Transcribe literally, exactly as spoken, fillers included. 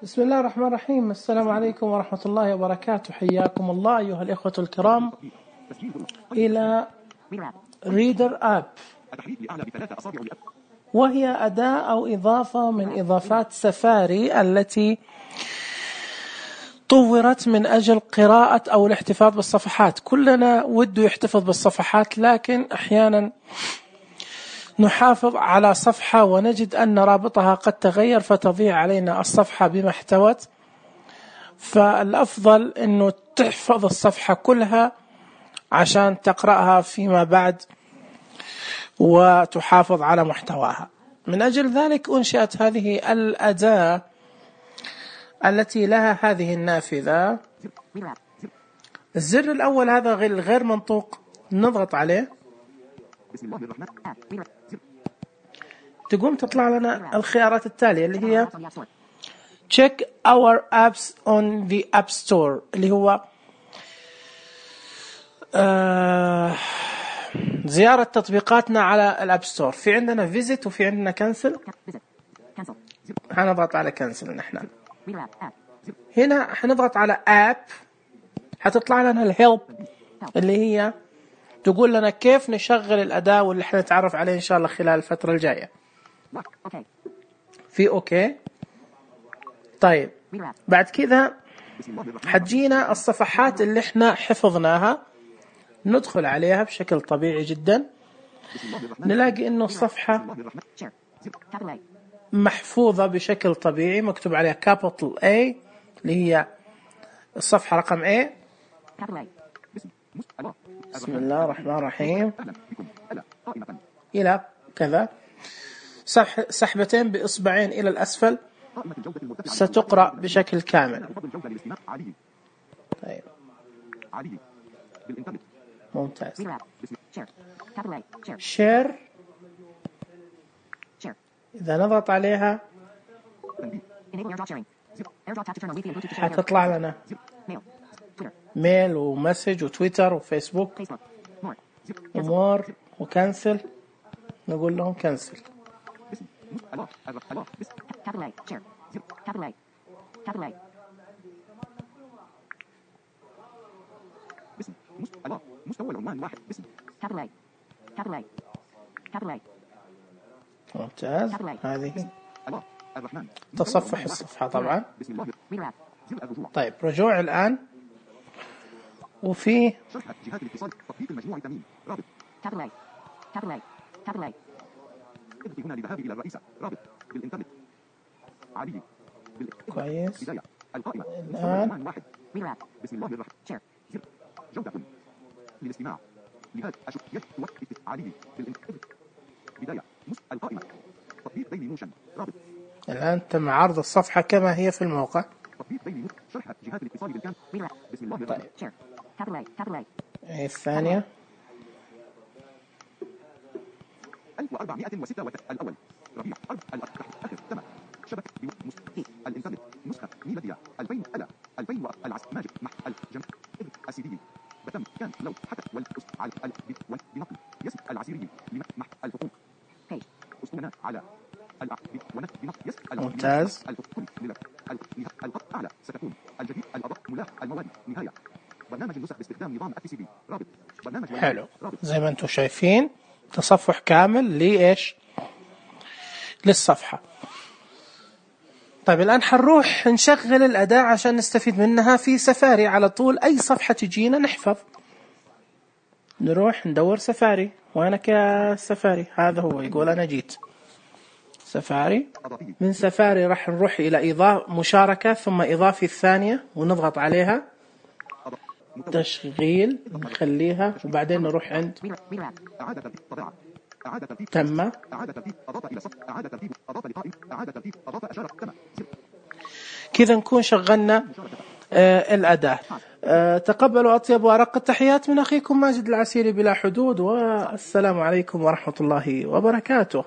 بسم الله الرحمن الرحيم. السلام عليكم ورحمة الله وبركاته. حياكم الله أيها الإخوة الكرام إلى ريدر آب، وهي أداة أو إضافة من إضافات سفاري التي طورت من أجل قراءة أو الاحتفاظ بالصفحات. كلنا وده يحتفظ بالصفحات، لكن أحيانا نحافظ على صفحة ونجد أن رابطها قد تغير فتضيع علينا الصفحة بما احتوت. فالأفضل أنه تحفظ الصفحة كلها عشان تقرأها فيما بعد وتحافظ على محتواها. من أجل ذلك أنشأت هذه الأداة التي لها هذه النافذة. الزر الأول هذا غير منطوق، نضغط عليه تقوم تطلع لنا الخيارات التالية اللي هي check our apps on the app store، اللي هو آه زيارة تطبيقاتنا على الاب ستور. في عندنا visit وفي عندنا cancel. هنضغط على cancel. نحن هنا حنضغط على app، حتطلع لنا الهيلب اللي هي تقول لنا كيف نشغل الأداة، واللي حنتعرف عليه إن شاء الله خلال الفترة الجاية. في أوكي. طيب بعد كذا حتجينا الصفحات اللي احنا حفظناها، ندخل عليها بشكل طبيعي جدا. نلاقي إنه الصفحة محفوظة بشكل طبيعي، مكتوب عليها capital A اللي هي الصفحة رقم A. بسم الله الرحمن الرحيم إلى كذا، سحبتين بإصبعين إلى الأسفل ستقرأ بشكل كامل. طيب ممتاز. شير، إذا نضغط عليها حتطلع لنا ميل ومسج وتويتر وفيسبوك ومور وكنسل. نقول لهم كنسل. مستوى العنوان واحد باسم كابلاي كابلاي كابلاي. ممتاز. هذه تصفح الصفحة طبعا. طيب رجوع الآن، وفي جهات الاتصال تطبيق المجموع التمرين رابط كابلاي كابلاي كابلاي. اضغطي هنا للذهاب إلى الرئيسة رابط بالإنترنت عادي. كويس. بداية القائمة الآن واحد. بسم الله الرحمن شير زر جودة للاستماع لهذا أشوف يوقف عادي بالإنترنت بداية القائمة تطبيق ديلي موشن رابط. الآن تم عرض الصفحة كما هي في الموقع. تطبيق ديلي موشن شرح جهات الاتصال بالكامل. بسم الله الرحمن شير كابلاي كابلاي. الثانية ألف وأربعمائة وستة وثلاثين الأول ربيع أربع الأخر تم شبكة الإنترنت نسخة ميلادية ألفين ألا ألفين العصر ماجد مع الجمع السيدي بتم كان لو حتى والقص على البيت والبنقل يسم العسيري مع الحقوق كي أسطوانات على الأعبد ونت بنقل يسم. ممتاز. الخط أعلى ستكون الجديد الأضاء ملاح المواد نهاية برنامج النسخ باستخدام نظام التي سي بي رابط برنامج. حلو، زي ما انتم شايفين تصفح كامل لإيش للصفحة. طيب الآن حنروح نشغل الأداة عشان نستفيد منها في سفاري على طول. أي صفحة تجينا نحفظ، نروح ندور سفاري. وينك يا سفاري؟ هذا هو يقول أنا جيت سفاري. من سفاري راح نروح إلى إضافة مشاركة، ثم إضافة الثانية ونضغط عليها تشغيل نخليها، وبعدين نروح عند تم. كذا نكون شغلنا آه الأداة. آه تقبلوا أطيب وأرق التحيات من أخيكم ماجد العسيري بلا حدود، والسلام عليكم ورحمة الله وبركاته.